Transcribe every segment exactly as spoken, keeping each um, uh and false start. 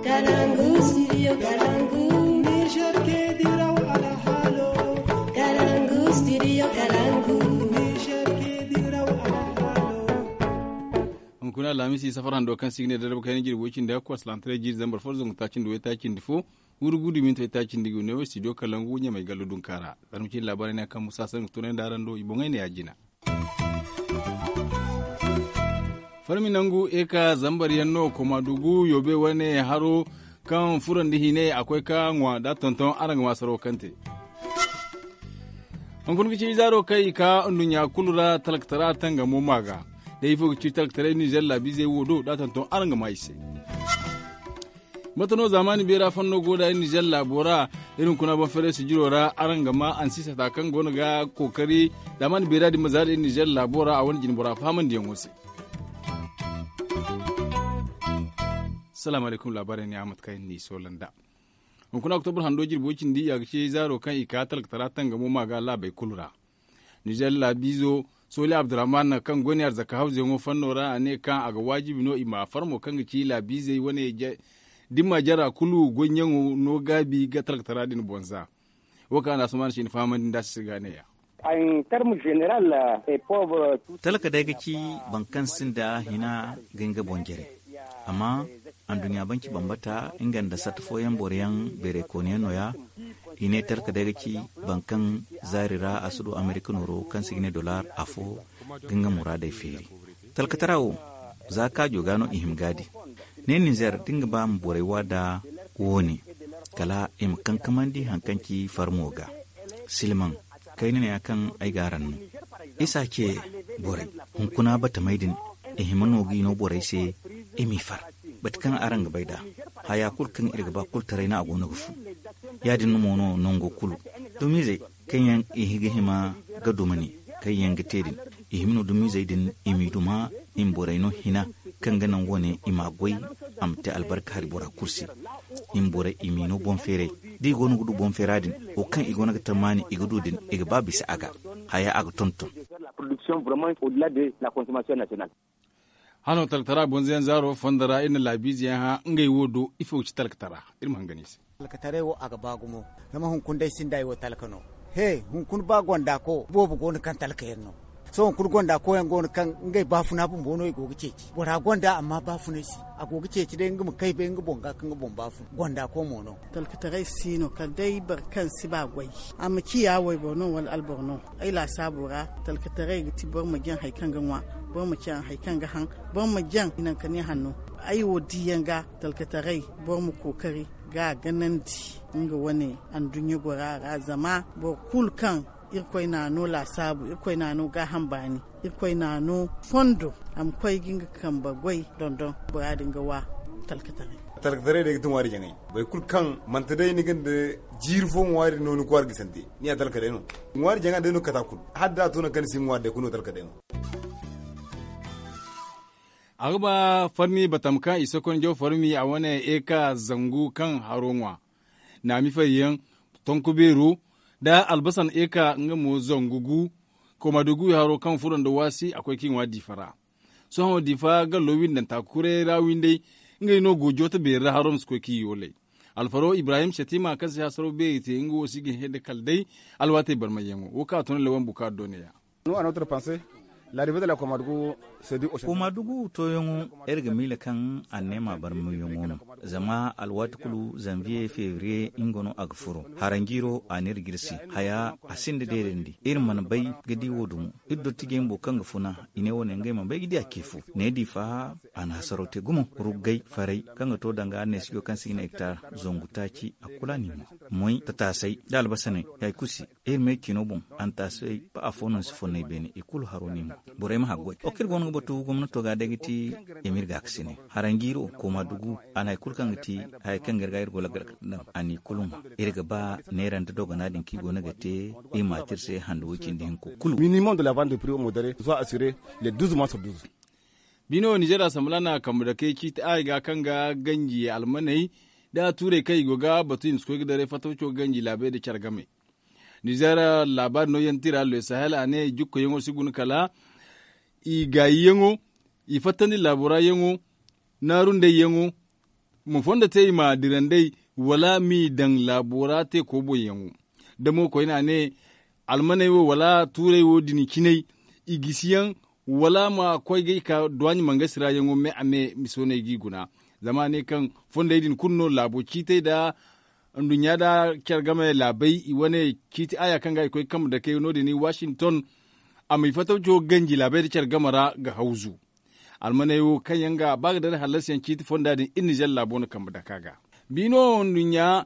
Kalangu studio kalangu. Niger ke diraw alhalo. Kalangu studio kalangu. Niger ke diraw alhalo. Hunkuna alhamisi safar hando kaŋ si ga ne darba kayna jirbi way cindi hakku asalantare jiiri zambar fo zangu taaci nda way taaci nda fo. Wuri gudu minti way taaci nda ga ne wo studio kalangu ɲamay gallo dunkaara. Zarma cindi laabaarey ne kaŋ musa sangu tunay nda araŋ do i boŋey ne ya jina. Farmi nangu eka zambar yaŋ no koma dugu yobe wane haro kaŋ furandi hine a koy ka ŋwa da tonton araŋ ga ma saro kaŋ te. Hunkuna ga ci zaaro kaŋ i ka nduɲɲa kulu ra talkatara tangamo ma ga. Day ifo ga ci talkataray nizer laabiizey wo do da tonton araŋ ga ma i se. Mate no zaamaani beera fanno go da iri nizer laabo ra. Iri hunkuna boŋ feeray sijiro ra araŋ ga ma ansisata kaŋ go no ga kookari zaamaani beera din ma zaari iri nizer laabo ra a wane jinbora fahamandiyaŋo se. Salaamu alaykum laabaarey ne a mate kaŋ iri n'i soola nd'a. Hunkuna oktobur hando jirbo cindi a ga ci zaaro kaŋ i ka talkatara tangamo ma ga laabey kulu ra. Nizer laabiizo sooli abdurrahman kaŋ go ne arzaka hawzeyaŋo fanno ra a ne kaŋ a ga waajibi no i ma farmo kaŋ ga ci laabiizey wane dimma jara kulu goyyaŋo no gaabi ga talkatara din boŋ za. Wo kaŋ a na sumaana si ni fahamandi nda a si ga neeya. Talka day ga ci boro kaŋ sinda hina ga nga boŋ jare. Amma anduɲɲa banci bambata nga nda satta fooyaŋ boro yaŋ beeray kooniyaŋ no- ya. I ne talka day ga ci boro kaŋ zaari ra a si du amerika nooro kaŋ si ga ne dollar afo ga nga muraadey feeri. Talkatara wo za kaajo ga no i hima ga a di. Ne ninzeer da nga ba ma borey wa da wo- ne kala i ma kankamandi hari kaŋ ci farmo ga. Silmaŋ kayna ne- ya kaŋ ay ga araŋ no. Isa ce borey hunkuna batamey din i hima no ga i no borey se i m'i far. Bate kaŋ araŋ ga bay nd'a haya kulu kaŋ iri ga ba kulu taray no a go no ga fu. Ya- din mo no nango kulu dumiizey kaŋ yaŋ i ga hima ga duma ne kaŋ yaŋ ga te din. I hima no dumiizey din i m'i duma i ma borey no hina kaŋ ga naŋ wo- ne i m'a goy a ma te albarka hari bora kulu se. I ma borey i m'i no boŋ feeray da i go no ga du boŋ feera din wo kaŋ i go no ga tammaani i ga du din i ga ba bisa a ga haya a ga tonton. Hano taltara bonzo yaŋ zaaro fondo ra iri na laabiize yaŋ hã ngey wo do ifo ga ci talkatara? Iri ma hangan i se. Talkataray wo a ga ba gumo. Zama hunkuna day sinda ay wo talka no. He hunkuna ba gonda ko boobo go no kaŋ talka yaŋ no. Sohõ hunkuna gonda ko yaŋ go no kaŋ ngey baafuna bumbo no i go ga ceeci bora gonda amma baafunay si. A go ga ceeci day nga ma kay bay nga boŋ ga kaŋ ga boŋ baafuna gonda ko mo no. Talkataray si no kala day boro kaŋ si ba goy a ma ciya wayboro no wala alboro no. Ay laasaabo ra talkataray ga ti boro ma jaŋ hari kaŋ ga ŋwa, boro ma caŋ hari kaŋ ga haŋ, boro ma jaŋ i naŋ ka ne hanno. Ay wo diiyaŋ ga talkataray boro ma kookari ga a ganandi nga wane anduɲɲa gora ra zama boro kulu kaŋ irkoy n'a no laasaabu irkoy n'a no gaaham baani. Irkoy n'a no fondo a ma koy ga nga kambe goy dondon bora din ga wa talkataray. Talkataray day ga ti ŋwaari jaŋay. Boro kulu kaŋ manti day ni ga nda jiiri fo ŋwaari no ni kwaara ga sante ni ya talka day no. Ŋwaari jaŋa day no ga kate a kulu hala da a to nangu kaŋ ni si ŋwaari day kulu no talka day no. A ga ba farmi batam kaŋ i sokonjo farmi a wane eka zangu kaŋ haro ŋwa naami fari yaŋ tonku beero nda albasan eka nga mo zangu gu. Koma da guwi haro kaŋ furo nda waasi a koy kaŋ i ŋwa diifa ra. Sohõ diifa gallo windanta kuray ra winday ngey no go jooto beeri ra haro ma si koy kaŋ i yoolay. Alfaro ibrahim setima kaŋ si hasaro beeri te nga wo si ga hẽ nda kala day alwaatey barmayyaŋo wo kaŋ a tun lawan bukaari do ne ya. Koma dugu tooyaŋo iri ga miila kaŋ anneema barmayyaŋo no. Zama alwaati kulu zanviye febriye nga no a ga furo haranjiiro a n'iri jirsi haya a sinda deerandi iri mana bay ga di wo dumo. Iri dottijey bumbo kaŋ ga funa i ne wo ne ngey mana bay ga di a ce fo ne diifa. A na hasaro te gumo ruggay faray kaŋ ga to danga neesijo kaŋ si ga ne hektar zangu taaci a kulu a n'i ŋwa moy tataasay da albasaney hari kulu se. Iri me ciino boŋ antaasay ba afo no ni si fonnay beene i kulu haro n'i ŋwa. Borey ma haggoy wo kaŋ iri go no ga batu gomnato ga day ga ti emir gaakasine haranjiiro kooma dugu a na hari kulu kaŋ ga ti haya kaŋ ga iri ga iri go lagal ga daŋ a n'i kulu ŋwa. Iri ga ba neera nda dogona din kaŋ i go no ga te i ma a te iri se hando way cindi hinko kulu. Minimum de la vente de prix modere soit assurer les douze mois sur douze. Bino ninzeer asamblaa na kambe dakey ciiti aray ga kaŋ ga ganji almaney nda tuurey kaŋ i go ga batu i ma si koy ga daray fatawco ganji laabey nda care game. Ninzeer laabaari nooyaŋ tira le sahel a ne jukkoyaŋo si guna kala i gaayiyaŋo, i fattandi laabo ra yaŋo, naarundey yaŋo, Ma fondo te i ma dira nd'ey, wala m'i daŋ laabo ra te kooboyaŋo. Da mo koyne a ne, almaney wo wala tuurey wo din cinay, i gisi yaŋ, wala ma koy ga i ka duwaaɲi mangasi ra yaŋo me a me misooney g'i guna. Zama a ne kaŋ fondey din kulu no laabo ciitey nda nduɲɲa nda care game laabey i wane ciiti aaya kaŋ ga i koy kambe dakey no- din washington. A ma i fatawco ganji laabey nda care game ra ga hawzu. Almaney wo kaŋ yaŋ ga ba ga dare hallasiyaŋ ciiti fonda din iri nizer laabo no kambe daka ga. Bi no nduɲɲa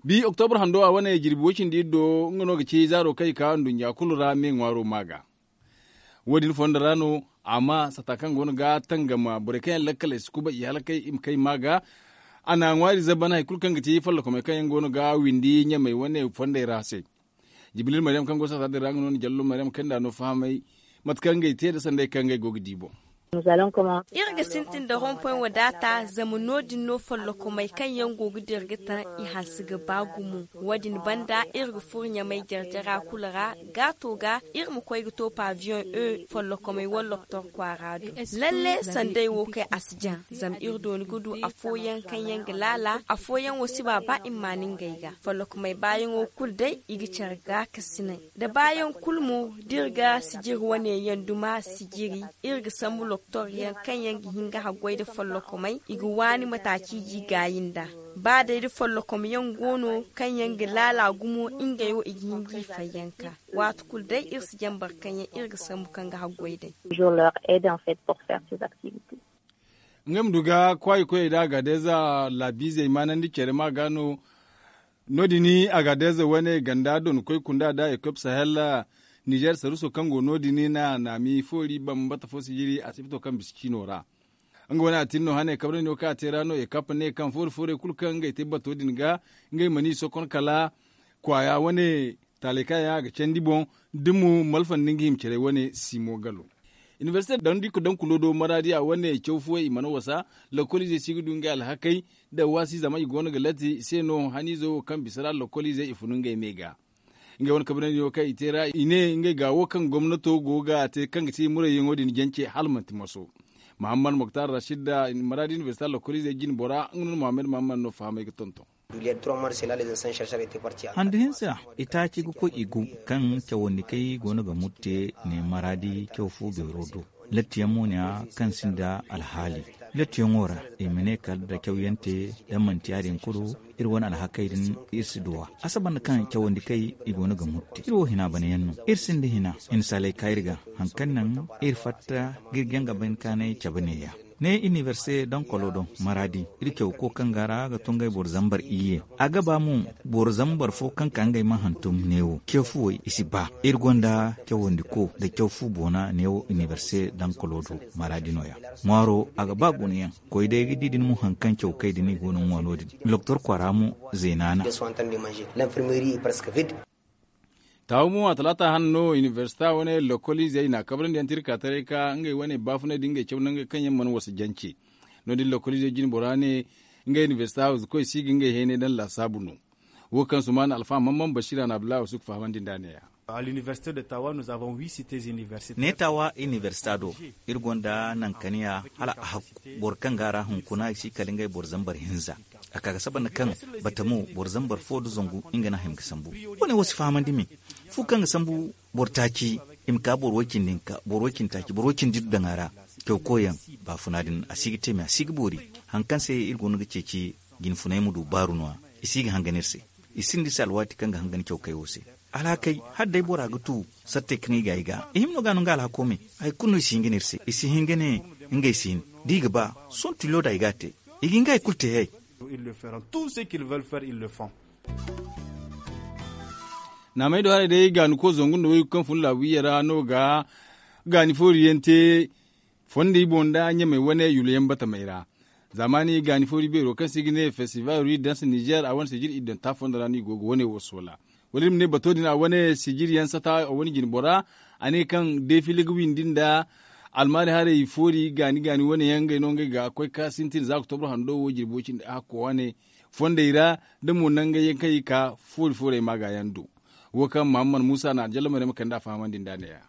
bi oktobar hando a wane jirbi woy cindi iri do nga no ga ci zaaro kaŋ i ka nduɲɲa kulu ra me ŋwaaro ma ga. Wo- din fondo ra no a ma sata kaŋ go no ga tangama borey kaŋ yaŋ lakkal ay si kubay i halakay i ma kay ma ga. A na ŋwaari zaban hari kulu kaŋ ga ti follokomey kaŋ yaŋ go no ga windi ɲamey wane fondey ra se. Jibilil maryam kaŋ go sata din ra nga no na jallo maryam kaŋ nda no fahamay mate kaŋ ngey te nda sanday kaŋ ngey go ga di boŋ. Iri ga sintin nda rompoy wadaata zama no- din no follokomey kaŋ yaŋ go ga dira ga taŋ i hanse ga ba gumo. Wo- din banda iri ga furo ɲamey jare-jara kulu ra gaato ga iri ma koy ga to paviyoŋ e follokomey wala loktor kwaara do. Lalle sanday wo kay a si jaŋ zama iri dooni ga du afooyaŋ kaŋ yaŋ ga laala afooyaŋ wo si ba ba i ma maan ngey ga. Follokomey baayaŋo kulu day i ga care gaakasinay da baayaŋ kulu mo da iri ga sijiri wane yaŋ duma sijiri. Iri ga sambu loktor yaŋ kaŋ yaŋ ga hin ga haggoy nda follokomey i ga waani mataaci ga i gaayi nd'a. Ba day da follokom yaŋ go no kaŋ yaŋ ga laala gumo ngey wo i ga hin ga i fayyanka. Waati kulu day iri si jaŋ boro kaŋ yaŋ iri ga sambu kaŋ ga haggoy day. Ngey ma du ga kwaayi koyey nda agadeeza laabiizey maanandi care ma ga no. No- din agadeeza wane ganda donkoy kunda nda ekop sahel nizer saruso kaŋ go no- din na naami foori bambata fo sijiri asibito kaŋ bisa ciino ra. Nga wane a tin no hane kabrandi wo kaŋ a te ra no ekop ne kaŋ foori foorey kulu kaŋ ngey te bato din ga ngey mana i sokon kala kwaaya wane taalay kaŋ yaŋ a ga candi boŋ. Da mo malfandi nga hima care wane simo galo. Inibersite daŋ da i ga daŋ kulo do maraadi a wane caw fooyaŋ i mana wasa. Lokkoliizey si ga du ngey alhakey da waasi zama i go no ga latti i se no haniizo wo kaŋ bisa ra lokkoliizey i funu ngey me ga. Ngey wane kabrandi wo kaŋ i te ra i ne ngey ga wo kaŋ gomnato go ga te kaŋ ga ti murayyaŋo din jance hala manti maso. Mahammad moktar rashid da maraadi inibersite lokkoliizey jine bora nga no na muhammad mahammad no fahamay ga tonton. Handu hinza itaaci ga koy i gu kaŋ cawandi kay go no ga murte ne maraadi caw fo beero do. Lattiyaŋ mo ne a kaŋ sinda alhaali lattiyaŋo ra i ma ne kala da cawyante da manti ya- din kulu. Iri wane alhakey din iri si duw'a a saba nda kaŋ cawandi kay i go no ga murte iri wo hina banayaŋ no. Iri sinda hina i na saalay ka iri ga haŋ kaŋ naŋ iri fatta ga iri jaŋ ga bay ni kaanay cabe neeya. Ne iniberse dankolo do maraadi iri caw ko kaŋ ga ra ga to ngey boro zambar iyye. A ga ba mo boro zambar fo kaŋ ka ngey ma hantum neewo ce fuwey i si ba iri gonda cawandi ko nda caw fu boona neewo iniberse dankolo do maraadi no- ya. Ŋwaaro a ga ba guna yaŋ koy day ga di din mo haŋ kaŋ caw kay din i go no ŋwa no- din. Loktor kwaara mo zeena na. Taawu mo a talaata hane no inibersita wane lokkoliizey na kabrandi yaŋ tirka taray ka ngey wane baafunay da ngey caw nangey kaŋ yaŋ mana wasa jance. No- din lokkoliizey jine bora ne ngey inibersita hawzu koy si ga ngey hayney daŋ laasaabu no. Wo kaŋ sumaana alfa mamman basiira na abdullahi wasu ga fahamandi nd'a ne- ya. Ne taawa inibersita do iri gonda nankaniya hala a hakku boro kaŋ ga a ra hunkuna i si kala ngey boro zambar hinza. A ka ga saba nda kaŋ batamo boro zambar fo nda zangu nga no a hima ga sambu. Wo- ne wo si fahamandi me fu kaŋ ga sambu boro taaci i ma ka boro way-cindi hinka boro way-cindi taaci boro way-cindi iri daŋ a ra. Caw koyyaŋ baafuna din a si ga te me a si ga boori. Haŋ kaŋ se iri go no ga ceeci jinfunay ma du baaru no- ya. I si ga hangan iri se. I sinda iri se alwaati kaŋ ga hangan caw kay wo se. Alhakey hala day bora ga tu sattey kaŋ i ga ay ga i hima no ga no nga alhako me. Hari kulu no i si hin ga ne iri se i si hin ga ne ngey si hin da i ga ba sohõ tilo da i ga a te. I ga hin ga hari kulu te hay. Naamey do haray day gaani ko zangu nda waygu kaŋ fun laabu iyye ra no ga gaani foori yaŋ te. Fondi boŋ nda ɲamey wane yullo yaŋ batamey ra. Zaamaani gaani foori beero kaŋ se i ga ne festival rue danse nizer a wane sijir iddanta fondo ra no i go ga wane wo soola. Wala iri ma ne bato din a wane sijir yaŋ sata a wane jine bora. A ne kaŋ defile ga windi nda almaari haray foori gaani gaani wane yaŋ ngey no ngey ga koy ka sintin za oktobro hando wo jirbi way cindi a hakko wane fondey ra. Da mo nangey yaŋ kaŋ i ga ka foori foorey maaga yaŋ do. Wo kaŋ mahammad muusa na aljallo maryama kande a fahamandi nd'a ne- ya.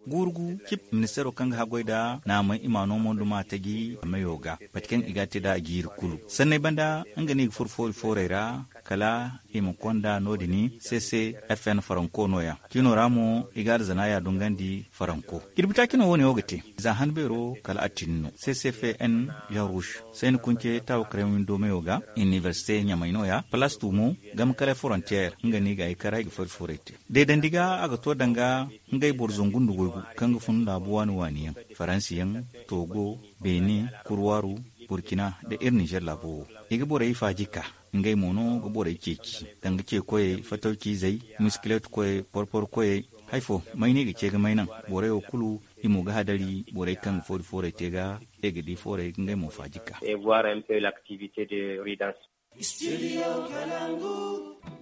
Guuru gu cip, ministeero kaŋ ga haggoy nd'a naamay i ma a no mo nda ma a taji meyo ga, mate kaŋ i ga a te nd'a jiiri kulu. Sanney banda, nga no i ga furo foori fooray ra, kala i ma konda no- din. C C F N faranko no- ya. Cino ra mo, i ga arzana ya dungandi faranko. Jirbi taaci no wo- ne wo ga te. Za han beero kala a tin no. C C F N Jean Rouge, sayni kunce taawo karaŋ windo meyo ga, inibersite ɲamay no- ya, palaas tu mo, game kala forontiyeer, nga no i ga ay kara i ga foori fooray te. Deedandi ga a ga to danga ngey boro zangu nda waygu, kaŋ ga fun laabu waani waani yaŋ, faransi yaŋ, togo, beene, kurwaaru, burkina, nda iri nizer laabo wo. I ga borey faaji ka, ngey mo no ga borey ceeci, danga ce koyey, fatawci izey, miskileet koyey, porpor koyey. Hari fo may no i ga ce ga may naŋ? Borey wo kulu, i mo ga hadari borey kaŋ ga foori fooray te ga, i ga di fooray ga ngey mo faaji ka.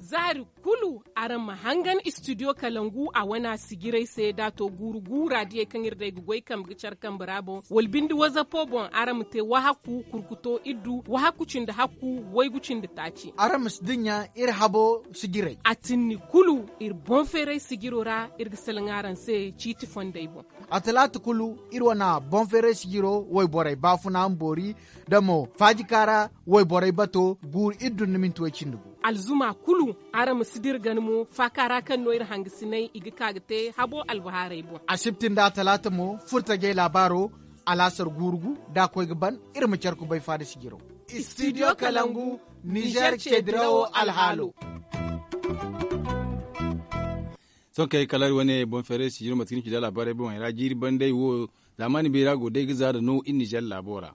Zaari kulu, araŋ ma hangan istidiyo kalangu a wana sijirey se da a to guuru guura diyey kaŋ iri day ga goy kambe ga care kambe ra boŋ, wala bindi wazapo boŋ, araŋ ma te wahakku kurkuto iddu wahakku cindi hakku, waygu cindi taaci. Araŋ ma si dinya iri habo sijirey. A tinni kulu, iri boŋ feeray sijiro ra, iri ga salaŋ araŋ se ciiti fondey boŋ. A talaata kulu, iri wana boŋ feeray sijiro wayborey baafuna ma boori, da mo faajika ra wayborey bato guuru iddu nda minti way cindi gu. Alzuma kulu, araŋ ma si dira gana mo faaka ra kaŋ no iri hangasiney i ga ka ga te habo albahaarey boŋ. Asibti nda a talaata mo, furtajey laabaaro, alaasar guuru gu, da a koy ga ban, iri ma care kubay faada sijiro. Istidiyo kalangu, nizer ceedirawo alhaalo. Sohõ kay kala iri wane boŋ feeray sijiro mate kaŋ ni ci da laabaarey boŋey ra jiiri bandey wo, zaamaani beera go day ga za da no iri nizer laabo ra.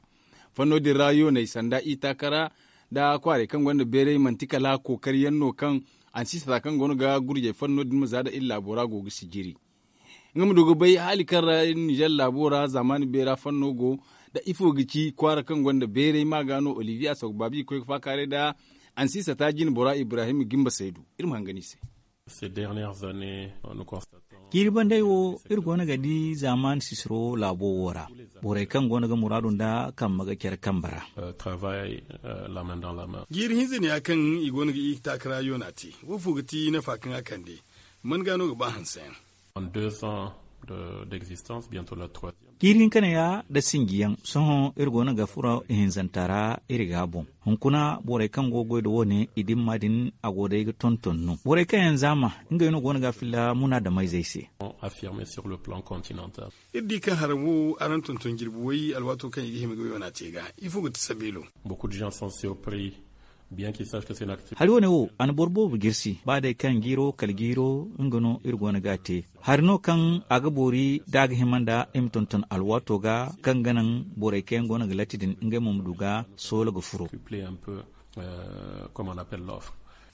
Fanno din ra yooney sanda i taakara nda kwaarey kaŋ gonda beeray manti kala kookari yaŋ no kaŋ ansiisata kaŋ go no ga gurjay fanno din ma za da iri laabo ra go ga sijiri. Nga ma du ga bay haali kaŋ ra nizer laabo ra zaamaani beera fanno go, da ifo ga ci kwaara kaŋ gonda beeray ma ga no olivier a soogu baabi ga koy ga faakaaray nda ansiisata jine bora ibrahim gimba saydu. Iri ma hangan i se. Ces dernières années, nous constatons. Jiiri bandey wo, iri go no ga di zaamaani sisiro laabo wo ra, borey kaŋ go no ga muraadu nda kambe ga care kambe ra. Jiiri hinza ne ya kaŋ i go no ga i taakara yoona te. Woofo ga ti nafa kaŋ a kande? Man ga no ga ba hanse yaŋ? Jiiri hinka ne ya nda sinji yaŋ sohõ iri go no ga furo ihinzanta ra. Iri ga a boŋ hunkuna borey kaŋ go ga goy nda wo- ne i dimma din a go day ga tonton no borey kaŋ yaŋ zaama ngey no go no ga a filla munaadameyzey se. Iri di kaŋ haraŋ wo araŋ tonton jirbi way alwaato kaŋ i ga hima ga yoona te ga. Ifo ga ti sabeelo? Hari wo- ne wo a na boro boobo jirsi ba day kaŋ jiiro kala jiiro nga no iri go no ga a te. Hari no kaŋ a ga boori da a ga hima nda i ma tonton alwaato ga kaŋ ga naŋ borey kaŋ yaŋ go no ga latti din ngey mo ma du ga soola ga furo.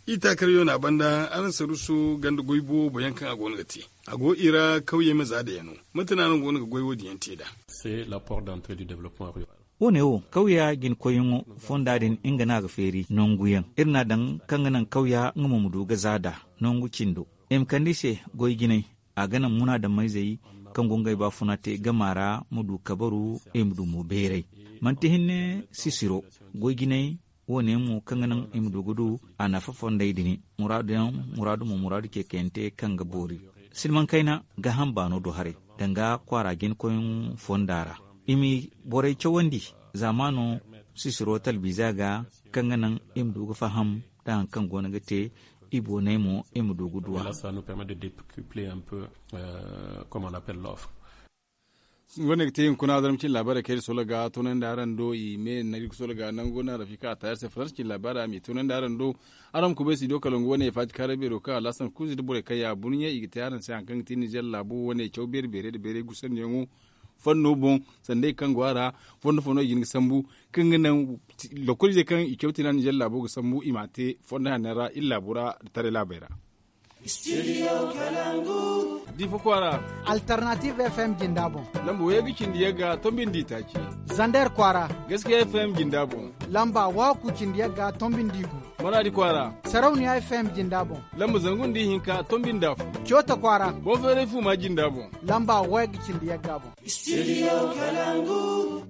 I taakar yoona banda araŋ saruso ganda goy boobo yaŋ kaŋ a go no ga te, a go i ra kawyey ma za da yaŋo. Mate no araŋ go no ga goy wo- din yaŋ te nd'a? Wo- ne wo kawya jina koyyaŋo fonda din nga no a ga feeri nangu yaŋ iri n'a daŋ kaŋ ga naŋ kawya nga mo ma du ga za nd'a nangu cindo. I ma kande i se goy jinay. A ga naŋ munaadameyzey kaŋ go ngey baafuna te gama ra ma du kabaru i ma du mo beeray. Manti hinne sisiro goy jinay wo- ne mo kaŋ ga naŋ i ma du ga du a nafa fondey din muraadu yaŋ muraadu mo muraadu ceekayante kaŋ ga boori. Silmaŋ kayna gaaham baano do haray danga kwaara jina koyyaŋo fonda ra. I ma borey cawandi zaamaano sisiro talbiiza ga kaŋ ga naŋ i ma du ga faham nda hari kaŋ go no ga te i boonay mo i ma du ga du a. Wane ga te hunkuna zarma cine laabaarey kaŋ iri solo ga toonandi araŋ do i me nangu iri ga solo ga nangu no araŋ fika a taari se faransa cine laabaarey a ma i toonandi araŋ do. Araŋ ma kubay studio kalangu wane faati kaaray beero kaŋ alhasan kuuzi nda borey kaŋ ya burɲe i ga te araŋ se hari kaŋ ga te nizer laabo wane caw beeri beerey nda beerey gusandiyaŋo. Fanno boŋ sanda i kaŋ go a ra fondo fondo i ga hin ga sambu kaŋ ga naŋ lokoliizey kaŋ i caw tina nizer laabo ga sambu i m'a te fondo hanno ra iri laabo ra nda taray laabey ra. Diifa kwaara. Alternative f m jinda boŋ. Lamba wayagga cindi yagga tombi nda itaaci. Zander kwaara. Gaskiya f m jinda boŋ. Lamba wahakku cindi yagga tombi nda igu. Maraadi kwaara. Sarauniya f m jinda boŋ. Lamba zangu nda ihinka tombi nda afo. Coota kwaara. Boŋ feeray fuuma jinda boŋ. Lamba wayagga cindi yagga boŋ. Studio kalangu.